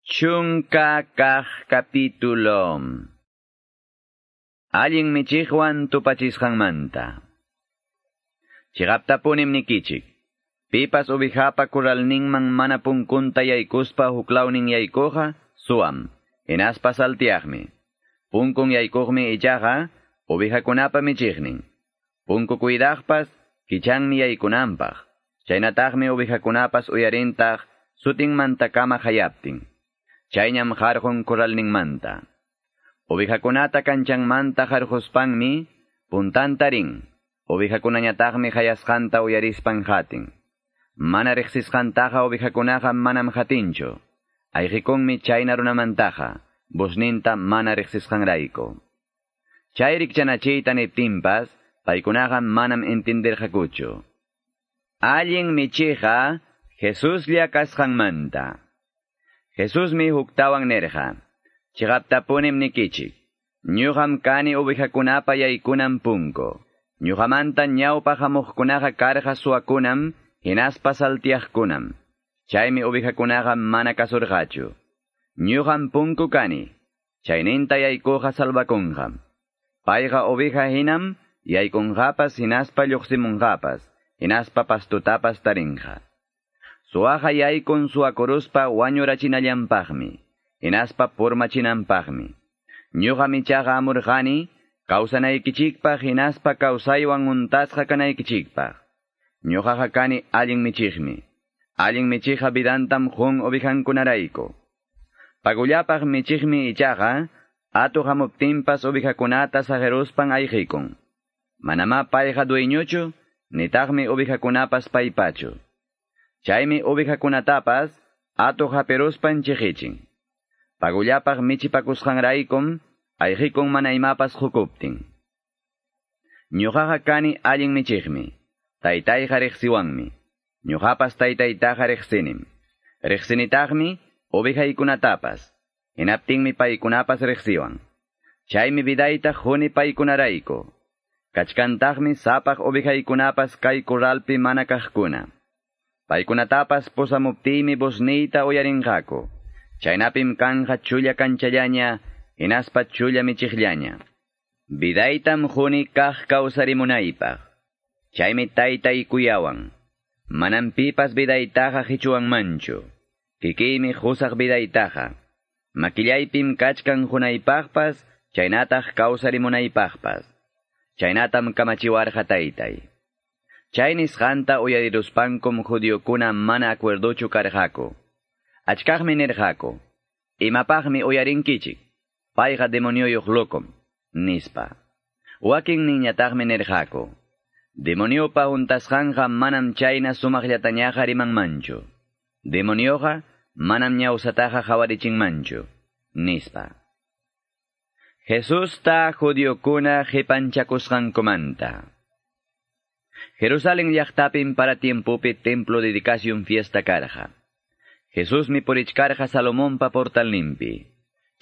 Chunka kaq capítulo. Allin michiqwan tupachisqanmanta. Chiqaptapunim nikichik. Pipas ubijapa kuralninman mana punkunta yaykuspa huklawnin yaykuqa suam. Hinaspa saltiaqmi. Punkun yaykuqmi ichaqa ubijakunapa michiqnin. Punku cuidaqpas kichanmi yaykunanpaq. Chaynataqmi ubijakunapas uyarintaq sutinmantakama hayaptin. Chayñam harqun kuralninmanta. Ovejakunata kanchanmanta harquspanmi puntanta rin. Ovejakunañataqmi hayasqanta uyarispan hatin. Mana riqsisqantaqa ovejakunaqa manam hatinchu. Ayqikunmi chayna runamantaqa, busninta mana riqsisqanrayku. Chay rikchanachiyta niptinpas, paykunaqa manam entenderqakuchu. Allin michiqa Jesuslla kasqanmanta. Jesusmi huktawan nerqa. Chiqaptapunim nikichik. Ñuqam kani ovejakunapa yaykunan punku. Ñuqamanta ñawpa hamuqkunaqa karqa suwakunam, hinaspa saltiaqkunam. Chaymi ovejakunaqa mana kasurqachu. Ñuqam punku kani. Chayninta yaykuqa salvakunqam. Payqa oveja hinam, yaykunqapas hinaspa lluqsimunqapas, hinaspa pastutapas tarinqa. Suwaqa yaykun suwakuruspa wañurachinallanpaqmi, hinaspa purmachinanpaqmi. Ñuqam ichaqa amurqani, kawsanaykichikpaq hinaspa kawsaywan untasqa kanaykichikpaq. Ñuqaqa kani allin michiqmi. Allin michiqa vidantam qun ovejankunarayku. Pagullapaq michiqmi ichaqa, atuq hamuptinpas ovejakunata saqiruspan ayqikun. Manamá payqa dueñochu, nitaqmi ovejakunapas paypachu. Chaymi ovejakunatapas atuq hapiruspan chiqichin. Pagullapaq michipakusqanraykum ayqikun mana imapas hukuptin. Ñuqaqa kani allin michiqmi. Taytayqa riqsiwanmi. Ñuqapas taytaytaqa riqsinim. Riqsinitaqmi ovejaykunatapas. Hinaptinmi paykunapas riqsiwan. Chaymi vidayta quni paykunarayku. Kachkantaqmi sapaq ovejaykunapas kay kurralpi mana kaqkuna. Paykunatapas pusamuptiymi vozniyta uyarinqaku. Chaynapim kanja chulla kanchallaña, hinaspa chulla michiqllaña. Vidaytam quni kaq kawsarimunaypaq. Chaymi taytay kuyawan. Manam pipas vidaytaqa qichuwanmanchu. Kikiymi qusaq vidaytaqa. Makillaypim kachkan qunaypaqpas, chaynataq kawsarimunaypaqpas. Chaynatam kamachiwarqa taytay. Chay nisqanta uyariruspankum judiokuna mana acuerdochu karqaku. Achkaqmi nirqaku, imapaqmi uyarinkichik, payqa demonioyuq lokom, nispa. Wakin niñataqmi nirqaku, demoniopa untasqanqa manam chayna sumaqllatañaqa rimanmanchu. Demonioqa manam ñawsataqa hawarichinmanchu, nispa. Jesusta judiokuna qipanchakusqankumanta. Jerusalén llaqtapim para tiempopi templo dedicación fiesta karqa. Jesusmi purichkarqa Salomonpa portalninpi.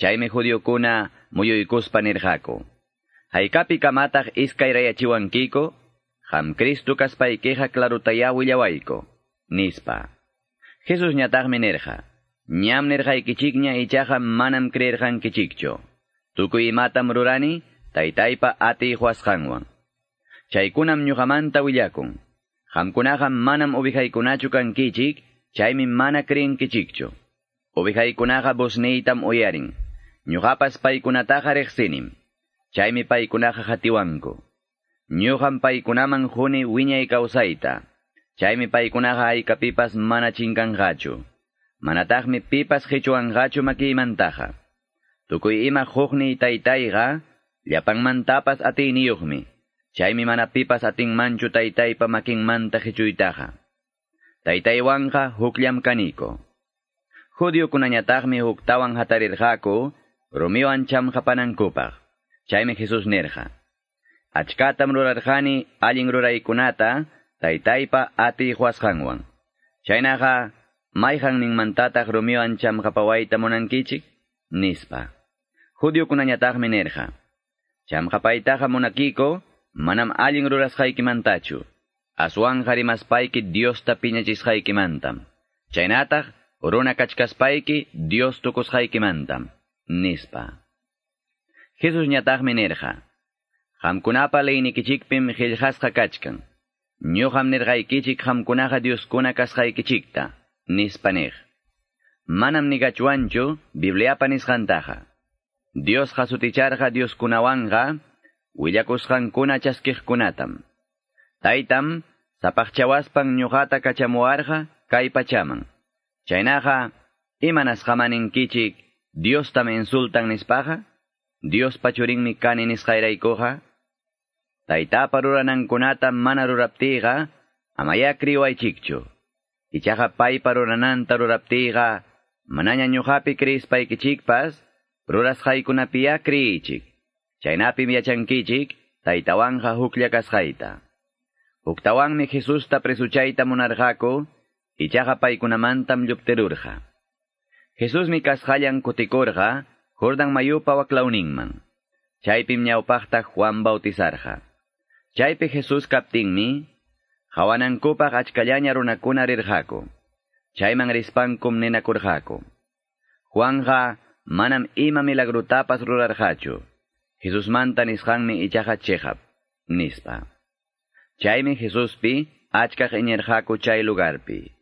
Chaymi judiokuna muyuykuspa nirqaku. Haykapi kamataq iskayrayachiwankiko, qam Cristo kaspaykiqa klarutayá willawayku, nispa. Jesusñataqmi nirqa, ñam nirqaykichikña ichaqa manam creerqankichikchu. Tukuy imatam rurani, taytaypa atiy quwasqanwan. Chaykunam ñuqamanta willakun. Qamkunaqa manam ovejaykunachu kankichik, chaymi mana creenkichikchu. Ovejaykunaqa vozniytam uyarin. Ñuqapas paykunataqa riqsinim. Chaymi paykunaqa hatiwanku. Ñuqam paykunaman quni wiñay kawsayta. Chaymi paykunaqa haykapipas mana chinkanqachu. Manataqmi pipas qichuwanqachu makiymantaqa. Tukuy ima huqniy taytayqa, llapanmantapas atiyniyuqmi. Chaymi mana pipas atinmanchu taytaypa makinmanta qichuytaqa. Taytaywanqa hukllam kaniko. Judiokunañataqmi huktawan hatarirqaku, rumiwan chamqapanankupaq. Chaymi Jesús nirqa, achkatam rurarqani allin ruraykunata taytaypa atiy quwasqanwan. Chaynaqa mayqanninmantataq rumiwan chamqapawayta munankichik, nispa. Judiokunañataqmi nirqa, chamqapaytaqa munakiko, manam allin rurasqaykimantachu. Aswanqa rimaspayki Diosta piñachisqaykimantam. Chaynataq Runa kachkaspayki Dios tukusqaykimantam, nispa. Jesus ñataqmi nirqa: Qamkunapa leynikichikpim qillqasqa kachkan. Ñuqam nirqaykichik qamkunaqa Dioskuna kasqaykichikta, nispa niq. Manam nigachwanchu Bibliapa nisqantaqa. Diosqa suticharqa Dioskunawanqa willakusqankuna chaskiqkunatam. Taytam sapaqchawaspan ñuqata kachamuwarqa kay pachaman. Chaynaqa imanasqaman ninkichik Diostam insultan nispaqa? Diospa churinmi kani nisqayraykuqa? Taytapa ruranankunata mana ruraptiyqa, amaya kriwaychikchu. Ichaqa paypa rurananta ruraptiyqa, manaña ñuqapi kriyispaykichikpas, rurasqaykunapiya kriychik. Chaynapim yachankichik, taytawanqa huklla kasqayta. Huktawanmi Jesusta presuchayta munarqaku, ichaqa paykunamantam lluptirurqa. Jesusmi kasqallan kutikurqa, Jordan mayupa waklawninman. Chaypim ñawpaqta Juan bautizarqa. Chaypi Jesús kaptinmi, hawanankupaq achkallaña runakuna rirqaku. Chayman rispankum ninakurqaku. Juanja manam ima milagrutapas rurarqachu. Jesusmanta nisqanmi ichaqa chiqap, nispa. Chaymi Jesuspi achkaq iñirqaku chay lugarpi.